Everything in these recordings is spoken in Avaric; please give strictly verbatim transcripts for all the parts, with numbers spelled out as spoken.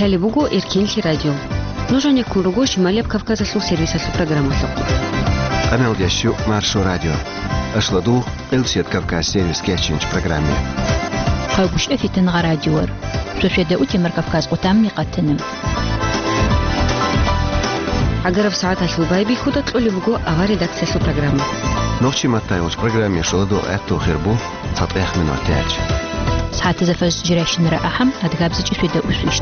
Лъалеб буго Эркенлъи радио. Нуж гьанеккун руго Шималияб Кавказалъул сервисалъул программалъухъ. Къамелдеш щу Маршо радио. Ашладу Къилсият Кавказ сервис кечинч программе. Хъагушев Фитангъа радиор. Шошеда утемар Кавказ къутамни къатана. Агараб сагӀаталъул байбихьуда кьолеб буго авар редакциялъул программа. Нохчи маттайолч программе шоладо гӀатту хирбу. ЦатӀехъ минут тяч. СагӀатазда фажр жирайщинара ахӀам, адгабзичӀи шведа усвищ.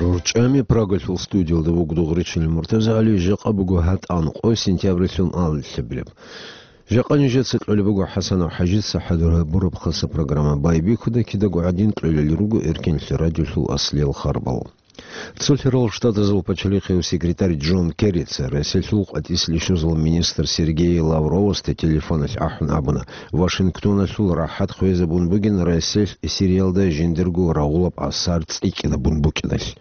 РорчӀами Прагалъул студиялда вугдугъричил МуртазагӀали, жакъа буго гьатӀан къо сентябрилъун алилъабилеб. Жакъа нижеца кьолеб буго ХӀасанов ХӀажица хӀадур гьабураб хаса программа. Байбихьуда кидаго гӀадин кьолел руго Эркенлъи радиолъул аслиял харбал. Цо лъерал Штатазул пачалихъев секретарь Джон Керрица Россиялъул къватӀислъи щвезал министр Сергей Лавровасда телефоналъ ахӀун абуна, Вашингтоналъул рахӀат хвезабун бугин Россиялъ Сириялда жиндирго рагъулаб асар цӀикӀкӀинабун букӀиналъ.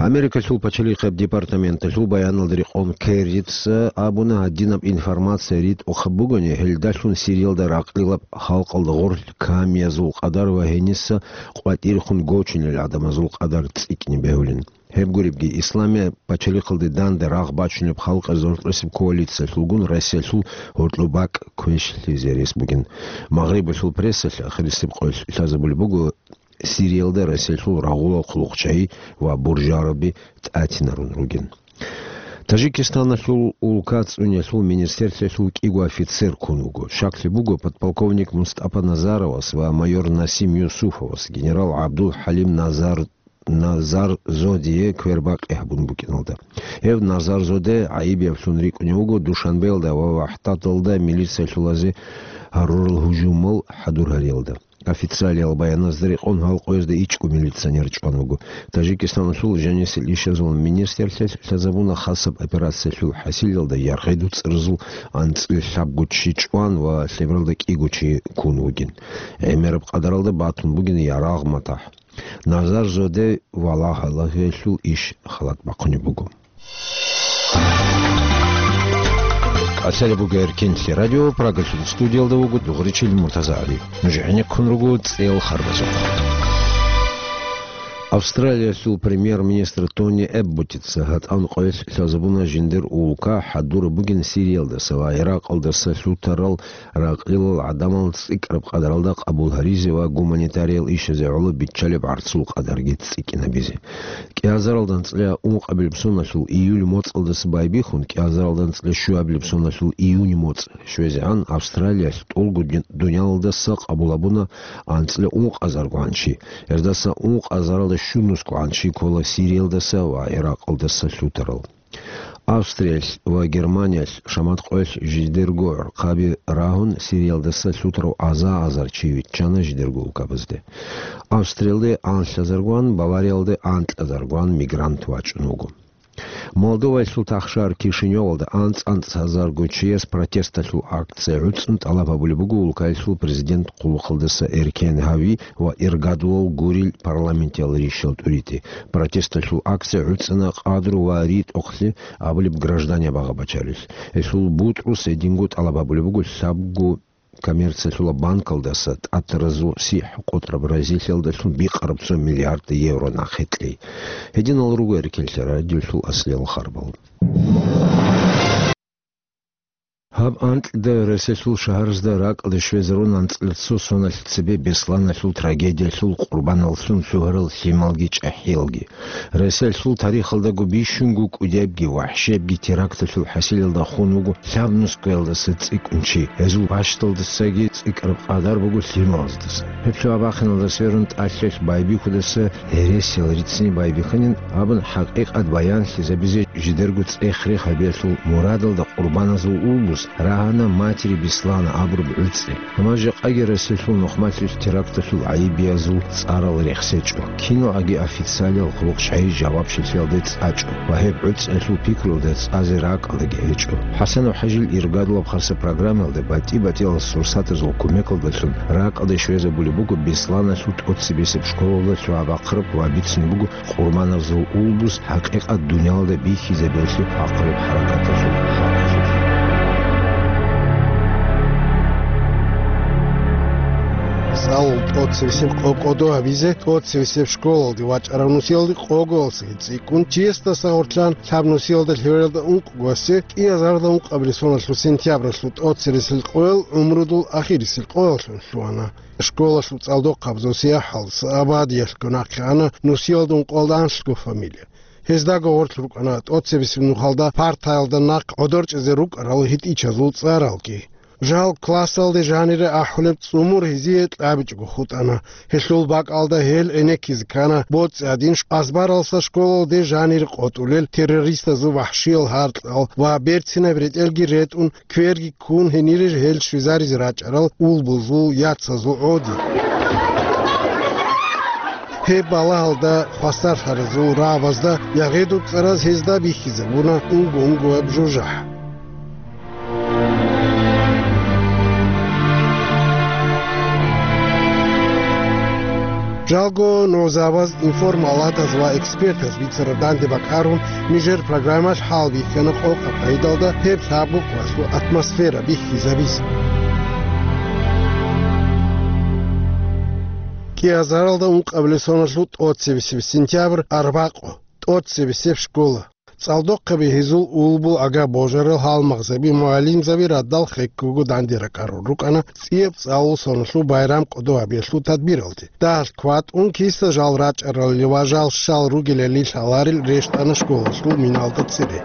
Америкалъул пачалихъаб департаменталъул баяналда рекъон Керрица абуна, гьадинаб информация ритӀухъаб бугони, гьелдалъун Сириялда ракълилаб халкъалда гъорлъ камиязул къадар ва гьениса къватӀирехун гочунел гӀадамазул къадар цӀикӀкӀине бегьулин. Гьеб гуребги, Исламияб пачалихъалде данде рагъ бачунеб халкъазул гьоркьосеб коалициялъулгун Россиялъул гьоркьоб бакӀ квешлъизе рес бугин. Магърибалъул прессалъ ахирисеб къоялъ лъазабулеб буго, Сириялда Россиялъул рагъулал хъулухъчагьи ва буржараби тӀатинарун ругин. Тажикистаналъул улка цӀуниялъул министрлъиялъул кӀиго офицер ккун вуго. Щаклъи буго подполковник Мустапа Назаровас ва майор Насим Юсуфовас генерал ГӀабдул-ХӀалим Назар-, Назарзодие квербакъи гьабун букӀиналда. Гьев Назарзоде гӀайиб яблъун рикӀкӀунев вуго Душанбеялда ва ВахӀдаталда милициялъулазе гьарурал гьужумал хӀадур гьариялда. Официалиял баяназда рекъон гьал къоязда ичӀго милиционер чӀван вуго. Тажикистаналъул жанисел ишазул министрлъиялъ лъазабуна хасаб операциялъул хӀасилалда яргъи дуцӀразул анцӀила лъабго чи чӀван ва лъебералда кӀиго чи ккун вугин. ГӀемераб къадаралда батун бугин ярагъ-матахӀ. Назарзоде валагьалагьиялъул иш халат бахъунеб буго. Лъалеб буго Эркенлъи радио, Прагалъул студиялда вуго дугъричил МуртазагӀали. Нуж гӀенеккун руго цӀел харбазухъ. Австралиялъул премьер-министр Тони Эбботица гьатӀан къоялъ лъазабуна жиндир улка хӀадураб бугин Сириялдаса ва ГӀиракъалдаса лъутарал ракълилал гӀадамал цӀикӀкӀараб къадаралда къабул гьаризе ва гуманитариял ишазе гӀоло биччалеб гӀарцул къадарги цӀикӀкӀинабизе. КӀиазаралда анцӀила ункъабилеб соналъул июль моцӀалдаса байбихьун, кӀиазаралда анцӀила щуабилеб соналъул июнь моцӀ щвезегӀан Австралиялъ тӀолго дин-, дуниялалдаса къабул гьабуна анцӀила ункъазаргогӀан чи. Гьездаса ункъазаралда щунусгогӀан чи ккола Сириялдаса ва ГӀиракъалдаса лъутарал. Австриялъ ва Германиялъ шамат къоялъ жидерго гӀурхъаби рагьун, Сириялдаса лъутарав аза-азар чи виччана жидерго улкабазде. Австриялде анлъазаргван, Бавариялде анкьазаргван мигрант вачӀун вуго. Молдоваялъул тахшар Кишиневалда анцӀ-анцӀазарго чияс протесталъул акция гӀуцӀун тӀалаб гьабулеб буго улкаялъул президент хъулухъалдаса Эркен Гьави ва иргадулал гурил парламентиял ришал тӀуритӀи. Протесталъул акция гӀуцӀана къадру ва ритӀухълъи абулеб гражданиял багъа-бачарилъ. Гьелъул бутӀрус гьединго тӀалаб гьабулеб буго лъабго коммерциялъула банкалдаса тӀатаразул сихӀ къотӀраб разилъиялдалъун бикъараб цо миллиард евро нахъе кьей. Гьединал руго Эркенлъи радиолъул аслиял харбал. Гьаб анкьида Россиялъул шагьаразда ракӀалде щвезарун анцӀила цо соналъ цебе Бесланалъул трагедиялъул къурбаналлъун лъугьарал лъималги чӀахӀиялги. Россиялъул тарихалдаго бищунго кӀудебги вахӀшебги теракталъул хӀасилалда хун вуго лъабнусгоялдаса цӀикӀкӀун чи. Гьезул бащдалдасаги цӀикӀкӀараб къадар буго лъималаздаса. Гьеб лъугьа-бахъиналда сверун тӀалъалъ байбихьудаса гьересиял риццин байбихьанин абун хӀакъикъат баянлъизабизе жидерго цӀех-рех гьабиялъул мурадалда къурбаназул улбус рагьана «Матери Беслана» абураб гӀуцӀи. Амма жакъаги Россиялъул нухмалъулъ теракталъул гӀайибиязул цӀарал рехсечӀо. Киналги официалиял хъулухъчагьи жавабчилъиялде цӀачӀо ва гьеб гӀуцӀиялъул пикруялда цӀазе ракӀалаги гьечӀо. ХӀасанов ХӀажил иргадулаб хаса программаялда батӀи-батӀиял сурсатазул кумекалдалъун ракӀалде щвезабулеб буго Бесланалъул тӀоцебесеб школалда лъугьа-бахъараб ва бицунеб буго Къурбаназул улбус хӀакъикъат дуниялда бихьизабиялъе хӀакъулеб хӀаракаталъул хӀакъалъулъ. Цал ТӀоцебесеб къо кӀодо гьабизе, тӀоцебесеб школалде вачӀарав нусиялде къоголасеги цӀикӀкӀун, чиясдаса гъорлъан лъаб нусиялда лъевералда ункъго асе, кӀиазарда ункъабилеб соналъул сентябралъул тӀоцересел къоял гӀумрудул ахирисел къояллъун лъугьана. Школалъул цӀалдохъабазул сияхӀалдаса Абадиялъго нахъе ана нусиялда ункъоялда анлъго фамилия. Гьездаго гъорлъ рукӀана тӀоцебесеб нухалда партаялда нахъ гӀодор чӀезе рукӀарал гьитӀичазул цӀаралги. Жал классалде жанире ахӀулеб цӀумур гьезие кьабичӀого хутӀана. Гьелъул бакӀалда гьел гӀенеккизе ккана боцӀи гьадин азбаралса школалде жанире къотӀулел террористазул вахӀшиял гьаркьал ва берцинаб ретӀелги ретӀун, кверги ккун гьенире гьел щвезаризе рачӀарал улбузул яцазул гӀодиги. Гьеб балагьалда хвасарлъаразул рагӀабазда ЯгъедуцӀараз гьезда бихьизабуна унго-унгояб жужахӀ. Жалго, нугӀзабаз, информалатаз ва экспертаз бицараб данде бакӀарун, нижер программалъ хӀалбихьана къокъаб къагӀидалда гьеб лъабго къоялъул атмосфера бихьизабизе. КӀиазаралда ункъабилеб соналъул тӀоцебесеб сентябрь, арбакъо, тӀоцебесеб школа. ЦӀалдохъаби гьезул улбул ага-божарал гьалмагъзаби, мугӀалимзаби радал хеккого данде ракӀарун рукӀана цӀияб цӀалул соналъул байрам кӀодо гьабиялъул тадбиралде. Дагьалъ кватӀун киса жал рачӀаралли ва жал щал ругелали лъаларел рещтӀана школалъул миналда цере.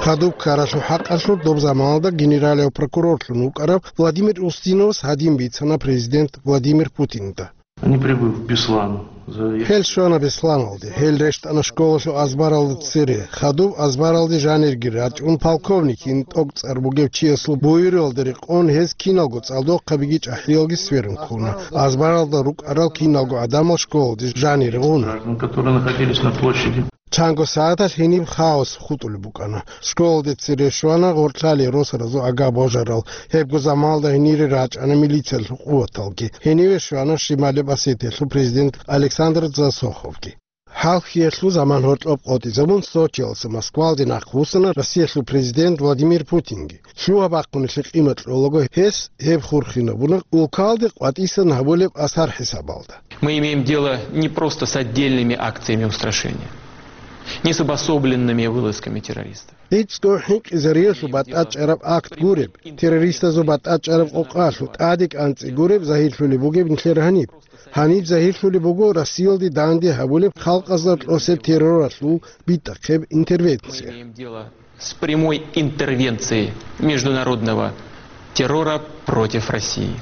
Хадуб ккаралъул хӀакъалъулъ доб заманалда генералияв прокурорлъун вукӀарав Владимир Устиновас гьадин бицана президент Владимир Путинда. Они прибыли в Беслан. За- Гьел щвана Бесланалде. Гьел рещтӀана школалъул азбаралда цере. Хадуб азбаралде жанирги рачӀун, полковникин тӀокӀцӀар бугев чиясул буюралда рекъон гьез киналго цӀалдохъабиги чӀахӀиялги сверун ккуна. Азбаралда рукӀарал киналго гӀадамал школалде жанире гъуна. Граждан, которые находились на площади. Чанго сагӀаталъ гьениб хаос хутӀулеб букӀана. Школалде цере щвана гъорлъалие росаразул ага-божарал. Гьебго заманалда гьенире рачӀана милициялъул къуваталги. Гьениве щвана Шималияб Осетиялъул президент Александр Дзасоховги. Хал-хиялъул заман гьоркьоб къотӀизабун, Сочиялдаса Москвалде нахъвуссана Россиялъул президент Владимир Путинги. Лъугьа-бахъуналъе къимат кьолаго гьес гьеб хурхинабуна улкалде къватӀисан гьабулеб асар хӀисабалда. Мы имеем дело не просто с отдельными акциями устрашения, не с обособленными вылазками террористов. ГӀицӀго хӀинкъизариялъул батӀачӀараб акт гуреб, террористазул батӀачӀараб къокъалъул тӀаде кӀанцӀи гуреб загьирлъулеб бугеб нилъер гьаниб. Гьаниб загьирлъулеб буго Россиялде данде гьабулеб халкъазда кьосеб терроралъул битӀахъеб интервенция. Мы имеем дело с прямой интервенцией международного террора против России.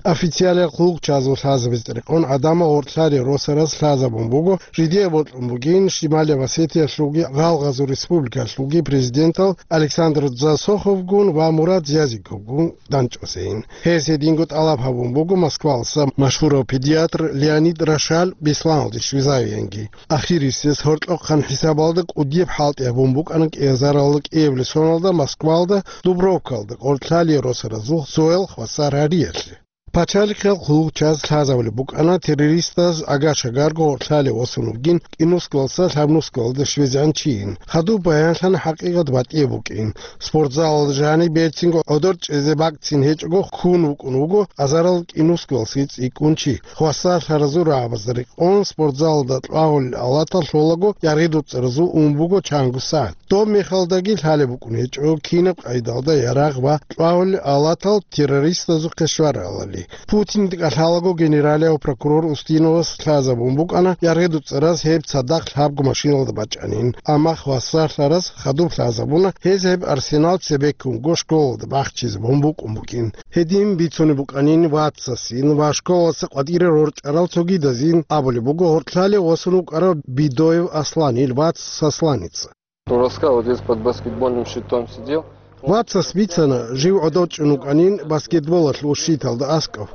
Официалиял хъулухъчазул лъазабизе рекъон гӀадамал гъоркьлъалие росараз лъазабун буго, жидее бокьун бугин Шималияб Осетиялъулги Гъалгъазул республикалъулги президентал Александр Дзасоховгун ва Мурад Зязиковгун данчӀвасейин. Гьез гьединго тӀалаб гьабун буго Москвалдаса машгьурав педиатр Леонид Рошаль Бесланалде щвезавиянги. Ахирисез гьоркьохъан хӀисабалда кӀудияб хӀалтӀи гьабун букӀана кӀиазаралда кӀиабилеб соналда Москвалда Дубровкалда гъоркьлъалие росаразул цоял хвасар гьариялъе. Пачалихъал хъулухъчаз лъазабулеб букӀана террористаз ага-шагарго гъоркьлъалие восун вугин кӀинусгалдаса лъабнусгалде щвезегӀан чийин. Хадуб баянлъана хӀакъикъат батӀияб букӀин. Спортзалалда жаниб берцинго гӀодор чӀезе бакӀцин гьечӀого ккун вукӀун вуго азарал кӀинусгалдаса цӀикӀкӀун чи. Хвасарлъаразул рагӀабазда рекъон спортзалалда кьвагьулел алатал лъолаго ЯгъедуцӀаразул ун буго чанго сагӀат. Доб мехалдаги лъалеб букӀун гьечӀо кинаб къайдалда ярагъ ва кьвагьулел алатал террористазухъе щваралали. Путинда кӀалъалаго генералияв прокурор Устиновас лъазабун букӀана ЯгъедуцӀараз гьеб цадахъ лъабго машиналда бачӀанин, амма хвасарлъараз хадуб лъазабуна гьез гьеб арсенал цебеккунго школалда бахчизабун букӀун бугин. Гьедин бицунеб букӀанин вацасин ва школалдаса къватӀире рорчӀарал цогидазин абулеб буго гьоркьлъалие восун вукӀарав Бидоев Асланил вац Сосланица. Он рассказывал, вот здесь под баскетбольным щитом сидел. Вацас бицана, жив гӀодов чӀун вукӀанин баскетболалъул щиталда аскӀов.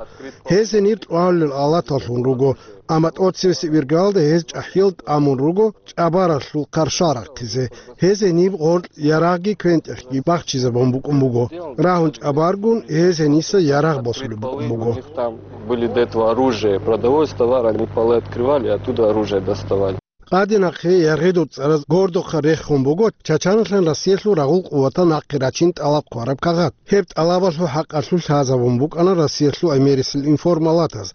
Гьез гьенир кьвагьулел алаталлъун руго, амма тӀоцевесеб иргалда гьез чӀахӀиял тӀамун руго чӀабаралъул хъаршал рахъизе. Гьез гьениб гъоркь ярагъги квен-тӀехги бахчизабун букӀун буго. Рагьун чӀабаргун, гьез гьениса ярагъ босулеб букӀун буго. У них там были до этого оружие, продовольствие, товар, они полы открывали, оттуда оружие доставали. Къаде нахъе яргъидул цӀараз гордухъа рехун буго Чачаналъан Россиялъул рагъул къуватал нахъе рачин тӀалаб хъвараб кагъат. Гьеб тӀалабалъул хӀакъалъулъ лъазабун букӀана Россиялъул гӀемерисел информалатаз,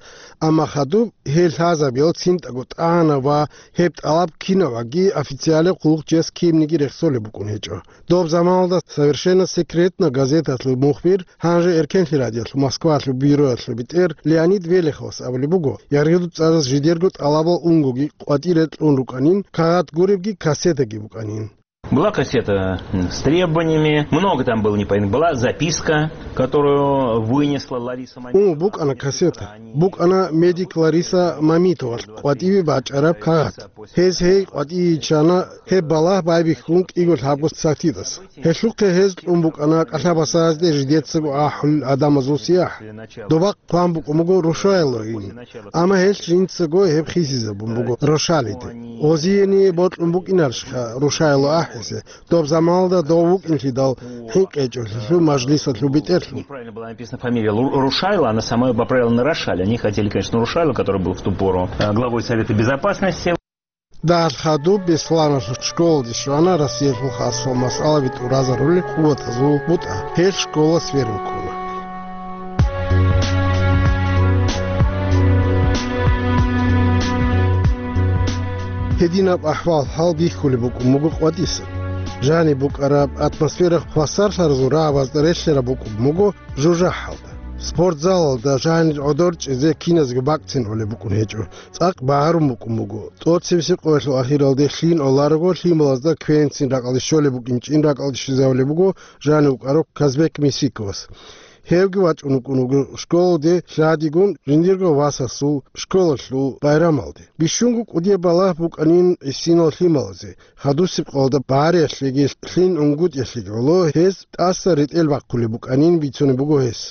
амма хадуб гьел лъазабиял цинтӀаго тӀагӀана ва гьеб тӀалаб кинаваги официалаб хъулухъ жес кинниги рехсолеб букӀун гьечӀо. Доб заманалда «Совершенно секретно» газеталъул мухбир, гьанже Эркенлъи радиоялъул Москвалъул бюроялъул бетӀер Леонид Велиховас абулеб буго, яргъидул цӀараз жидерго тӀалабал унгоги къватӀире кьун рукӀанин, кагъат гуребги кассетаги букӀанин. Была кассета, м, с требованиями, много там было непонятно. Была записка, которую вынесла Лариса Мамитова. Ун букӀана кассета, букӀана медик Лариса Мамитовалъ къватӀиве бачӀараб кагъат. Гьез гьей къватӀиве йиччана, гьеб балагь байбихьун кӀиго лъабго сахтидаса. Гьелъухъе гьез кьун букӀана кӀалъабасазде жидецаго ахӀулел гӀадамазул сияхӀ. Доба хъван букӀун буго Рушайлоин, амма гьелъ жинцаго гьеб хисизабун буго Рошалиде. Гъозиени бокьун букӀинарищха Рушайло ахӀизе, доб заманалда дов вукӀинлъидал хӀинкъичӀолъулъул мажлисалъул бетӀерлъун. Неправильно была написана фамилия Лу-, Рушайла, она сама поправила на Рошаль. Они хотели, конечно, Рушайла, который был в ту пору, э, главой Совета Безопасности. Дагьал хадуб Бесланалъул школалде щвана Россиялъул хасал масъалаби тӀуразарулел къуватазул бутӀа. Гьел школа сверун ккуна. Гьединаб ахӀвал-хӀал бихьулеб букӀун буго къватӀисан. Жаниб букӀараб атмосфера хвасарлъаразул рагӀабазда релълъараб букӀун буго жужахӀалда. Спортзалалда жанир гӀодор чӀезе киназго бакӀцин гӀолеб букӀун гьечӀо. ЦӀакъ багьарун букӀун буго. ТӀоцебесеб къоялъул ахиралде лъим гӀоларого лъималазда квенцин ракӀалде щолеб букӀинчӀин ракӀалде щвезавулеб буго жанив вукӀарав Казбек Мисиковас. Гьевги вачӀун вукӀун вуго школалде лъадигун жиндирго васасул школалъул байрамалде. Бищунго кӀудияб балагь букӀанин гӀисинал лъималазе. Хадусеб къоялда багьариялъеги лъим гӀунгутӀиялъеги гӀоло гьез тӀаса ретӀел бахъулеб букӀанин бицунеб буго гьес.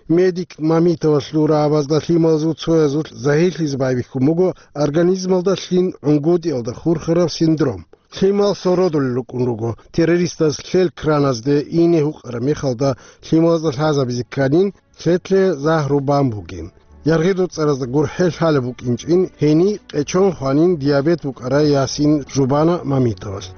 Медик Мамитовалъул рагӀабазда лъималазул цоязулъ загьирлъизе байбихьун буго организмалда лъим гӀунгутӀиялда хурхараб синдром. Лъимал сородулел рукӀун руго, террористаз лъел краназде ине гьукъараб мехалда лъималазда лъазабизе кканин, лъетлъе загьру бан бугин. ЯргъидулцӀаразда гурхӀел лъалеб букӀинчӀин, гьениб къечон хванин диабет букӀарай ясин жубана Мамитовалъ.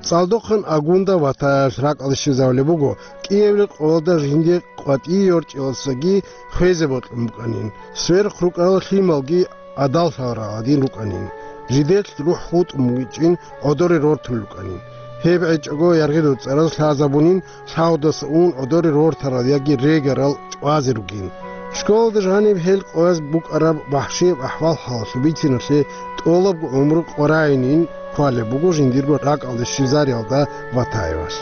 ЦӀалдохъан Агунда ватаялъ ракӀалде щвезавулеб буго, кӀиабилеб къоялда жинде къватӀие йорчӀеласаги хвезе бокьун букӀанин, сверухъ рукӀарал лъималги гӀадаллъарал гӀадин рукӀанин, жидер рухӀ хутӀун бугичӀин гӀодоре рортулел рукӀанин. Гьеб гӀечӀого яргъидулцӀараз лъазабунин, лъагьудаса ун гӀодоре рортарал яги регарал чӀвазе ругин. Школалда жаниб гьел къояз букӀараб вахӀшияб ахӀвал-хӀалалъул бициналъе тӀолабго гӀумру къваригӀунин хъвалеб буго жиндирго ракӀалде щвезариялда Ватаевалъ.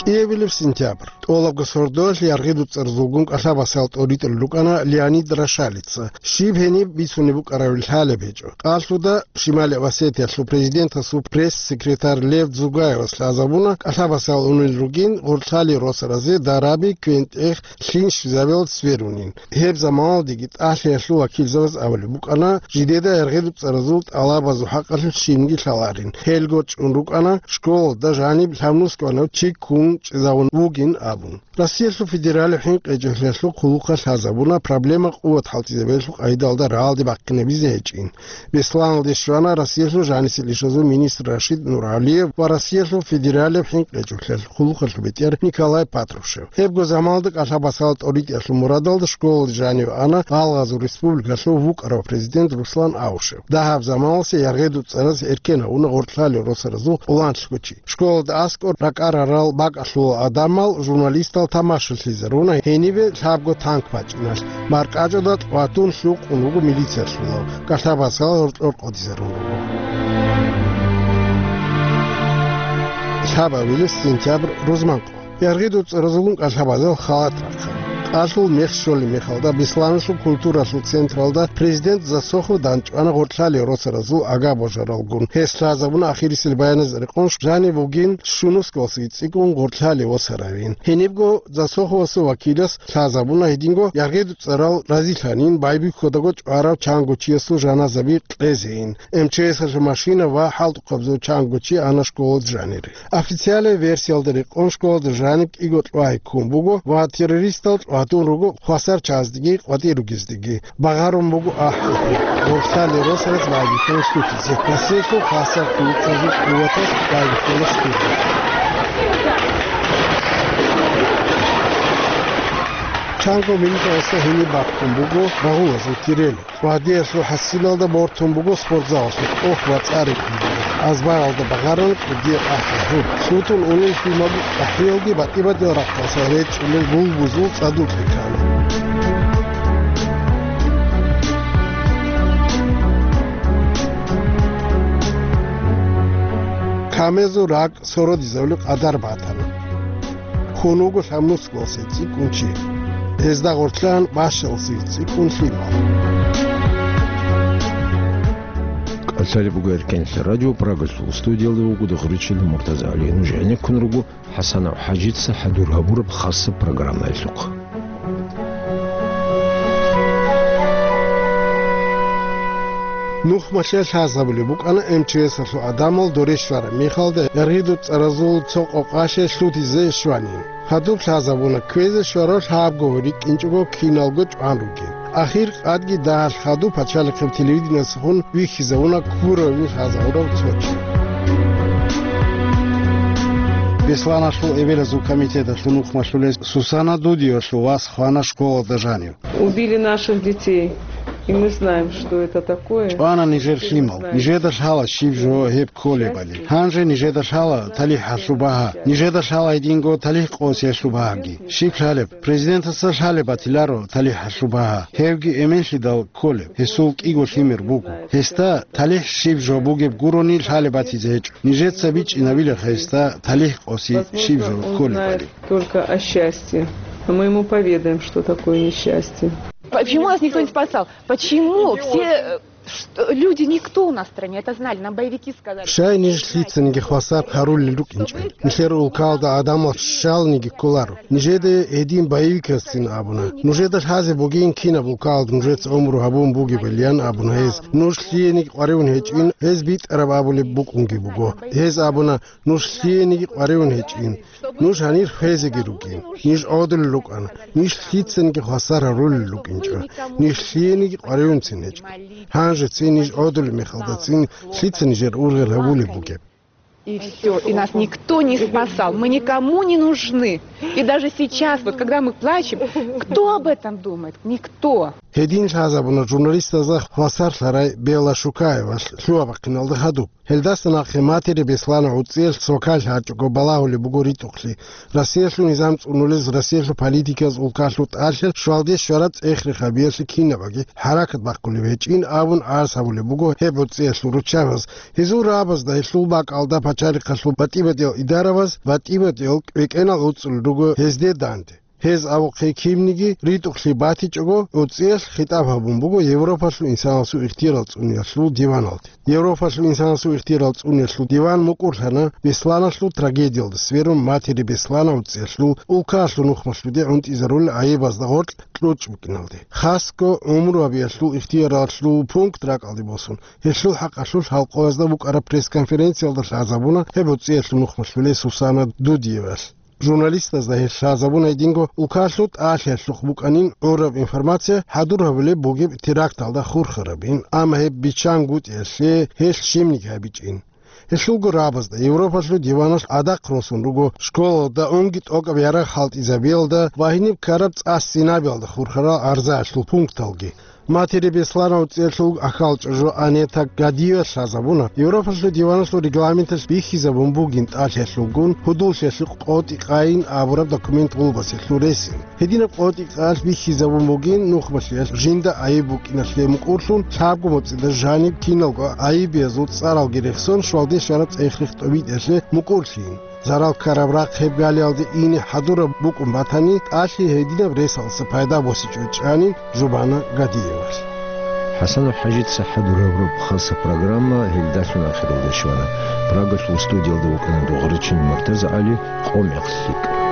КӀиабилеб сентябрь. ТӀолабго сордоялъ яргъидулцӀаразулгун кӀалъабасал тӀоритӀулел рукӀана Леонид Рошалица. Щиб гьениб бицунеб букӀаравилан лъалеб гьечӀо. Къалъуда Шималияб Осетиялъул президентасул пресс-секретарь Лев Дзугаевас лъазабуна, кӀалъабасал унел ругин гъоркьлъалие росаразе дараби квен-тӀех лъим щвезабиялда сверунин. Гьеб заманалдеги тӀалъиялъул вакилзабаз абулеб букӀана, жидеда яргъидулцӀаразул тӀалабазул хӀакъалъулъ щибниги лъаларин. Гьелго чӀун рукӀана, школалда жаниб лъабнусго гьанав чи ккун чӀезавун вугин абун. Россиялъул федералияб хӀинкъичӀелъиялъул хъулухъалъ лъазабуна проблема къуват хӀалтӀизабиялъул къагӀидалда рагӀалде бахъинабизе гьечӀин. Бесланалде щвана Россиялъул жанисел ишазул министр Рашид Нуралиев ва Россиялъул федералияб хӀинкъичӀелъиялъул хъулухъалъул бетӀер Николай Патрушев. Гьебго заманалда кӀалъабасал тӀоритӀиялъул мурадалда школалде жаниве ана Гъалгъазул республикалъул вукӀарав президент Руслан Аушев. Дагьаб заманалъе яргъидулцӀараз эркен гьавуна гъоркьлъалие росаразул къоланлъго чи. Школалда аскӀор ракӀарарал бакӀалъул гӀадамал, журналистал тамашалъизаруна гьенибе лъабго танк бачӀиналъ, маркӀачӀуда къватун лъукъун вуго милициялъулав, кӀалъабасал гьоркьор къодизарун руго. Лъабабилеб сентябрь рузман къо. ЯргъидулцӀаразулгун кӀалъабазал халат рахъана. Алъул мех щолеб мехалда, Бесланалъул культуралъул централда президент Засохов данчӀвана гъоркьлъалел росаразул агар божаралгун. Гьес лъазабуна ахирисел баяназ рекъон жаниб бугин щунусгалъги цӀикӀкӀун гъоркьлъалев восаравин. Гьенибго Засоховасул вакилас лъазабуна гьединго яргъиду цӀарал разилъанин байбихьодаго чӀварав чанго чиясул жаназаби кьезейин. М Ч С-алъул машина ва хӀалтӀухъабазул чанго чи ана школалда жанире. Официалияб версиялда рекъон школалда жаниб кӀиго кьвагьи ккун буго ва террористал чӀватун руго хвасар чаздеги къватӀир ругездеги. Багъарун буго ахӀи. Гъоркьлъалел росараз байбихьана щутизе. Россиялъул хвасар ккун цӀезул къуватаз байбихьана щутизе. Чанго минуталъ гьениб бахъун буго рагъулазул тирел. Гвардиялъул хӀасилалда бортун буго спортзалалъул тӀох ва цӀар рекӀун буго. Азбаралда багъарун кӀудияб ахӀи гьур. Лъутун унел лъимал ахӀиялги батӀи-батӀиял рахъалъа речӀчӀулел гулбузул цӀадукье ккана. Камезул ракӀ сородизабулеб къадар батана. Хьун вуго лъабнусгоялъе цӀикӀкӀун чи. Гьезда гъоркьан бащалъе цӀикӀкӀун лъимал. КӀалъалеб буго Эркенлъа радио, Прагалъул студиялда вуго Дагъричилан Муртазагьалиевич. Нуж гӀенеккун руго ХӀасанов ХӀажица хӀадур гьабураб хасаб программаялъухъ. Нухмалъе лъазабулеб букӀана М Ч С-алъул гӀадамал доре щвараб мехалда гӀергъиду цӀаразул цо къокъалъе лъутизе щванин. Хадуб лъазабуна кквезе щварав лъабго рикӀкӀинчӀого киналго чӀван ругин. Ахир къадги дагьалъ хадуб пачалихъеб телевидениесухун вихьизавуна ккуравин лъазабурав цо чи. Бесланалъул эбелазул комитеталъул нухмалъулес Сусана Дудиевалъул вас хвана школалда жанив. Убили наших детей, и мы знаем, что это такое. ЧӀвана нижер лъимал. Нижеда лъала щиб жо гьеб кколебали. Гьанже нижеда лъала талихӀалъул багьа. Нижеда лъала гьединго талихӀ къосиялъул багьаги. Щиб лъалеб? Президентасда лъалеб батиларо талихӀалъул багьа. Гьевги эменлъидал кколеб. Гьесул кӀиго лъимер буго. Гьесда талихӀ щиб жо бугеб гурони лъалеб батизе гьечӀо. Нижеца бичӀчӀинабилаха гьесда талихӀ къоси щиб жо кколебали. Только о счастье. Но мы ему поведаем, что такое несчастье. Почему нас никто не спасал? Почему все, э, что, люди, никто у нас в стране это знали, нам боевики сказали. Щай ниж лъицаниги хвасар гьарулел рукӀинчӀо. Нилъер улкалда гӀадамал щалниги кколаро. Нижеда гьедин боевикасцин абуна. Нужеда лъазе бугин кинаб улкалда нужеца гӀумру гьабун бугебилан абуна гьез. Нуж лъиениги къваригӀун гьечӀин, гьез битӀараб абулеб букӀунги буго. Гьез абуна, нуж лъиениги къваригӀун гьечӀин. Нуж гьанир хвезеги ругин. Ниж гӀодулел рукӀана. Ниж лъицаниги хвасар гьарулел рукӀинчӀо. Ниж лъиениги къваригӀунцин гьечӀо. Гьанжецин ниж гӀодулеб мехалдацин лъица нижер ургъел гьабулеб бугеб? И все, и нас никто не спасал. Мы никому не нужны. И даже сейчас, вот когда мы плачем, кто об этом думает? Никто. Гьедин лъазабуна журналистазда хвасар лъарай Белла Шукаевалъ лъугьа-бахъиналда хадуб. Гьелдаса нахъе матери Беслана гӀуцӀиялъ свакал гьачӀого балагьулеб буго ритӀухълъи. Россиялъул низам цӀунулез, Россиялъул политиказ улкалъул тӀалъи щвалде щвараб цӀех-рехабиялъе кинабаги хӀаракат бахъулеб гьечӀин абун гӀарз гьабулеб буго гьеб гӀуцӀиялъул руччабаз. Гьезул рагӀабазда гьелъул бакӀалда пачалихъалъул батӀи-батӀиял идарабаз батӀи-батӀиял кӀвекӀенал гӀуцӀулел руго гьезде данде. Гьез абухъе кинниги ритӀухълъи батичӀого, гӀуцӀиялъ хитӀаб гьабун буго Европалъул инсанасул ихтиярал цӀуниялъул диваналде. Европалъул инсанасул ихтиярал цӀуниялъул диван мукӀурлъана Бесланалъул трагедиялда сверун матери Беслана гӀуцӀиялъул улкалъул нухмалъуде гӀунтӀизарулел гӀайибазда гъоркь кьучӀ букӀиналде. Хасго гӀумру гьабиялъул ихтияралъул пункт ракӀалде босун, гьелъул хӀакъалъулъ халкъоязда букӀараб пресс-конференциялда лъазабуна гьеб гӀуцӀиялъул нухмалъулес Сусана Дудиевалъ. Журналистазда гьелъ лъазабуна гьединго улкалъул тӀалъиялъухъ букӀанин гӀураб информация хӀадур гьабулеб бугеб теракталда хурхарабин, амма гьеб биччан гутӀиялъе гьелъ щибниги гьабичӀин. Гьелъулго рагӀабазда Европалъул диваналъ гӀадахъ росун руго школалда унги тӀокӀаб ярагъ хӀалтӀизабиялда ва гьениб ккараб цӀа-стенабиялда хурхарал гӀарзаялъул пункталги. Матери Беслана гӀуцӀиялъул ахьалчӀа жо Анета Гадиевалъ лъазабуна, Европалъул диваналъул регламенталъ бихьизабун бугин тӀалъиялъулгун гьудуллъиялъе къотӀи къайин абураб документ гъулбасиялъул ресин. Гьединаб къотӀи къаялъ бихьизабун бугин нухмалъиялъ жинда гӀайиб букӀиналъе мукӀурлъун лъабго моцӀида жаниб киналго гӀайибиязул цӀаралги рехсон щвалде щвараб цӀех-рех тӀобитӀиялъе мукӀурлъийин. зарал ккараб рахъ гьеб галиялде ине хӀадураб букӀун батани, тӀалъи гьединаб ресалдаса пайда босичӀо, чӀани Жубана Гадиевалъ. ХӀасанов ХӀажица хӀадураб раб хаса программа гьелдалъун ахиралде щвана. Прагалъул студиялда вукӀана дугъричин МуртазагӀали, «Къо-мекъ лъикӀ».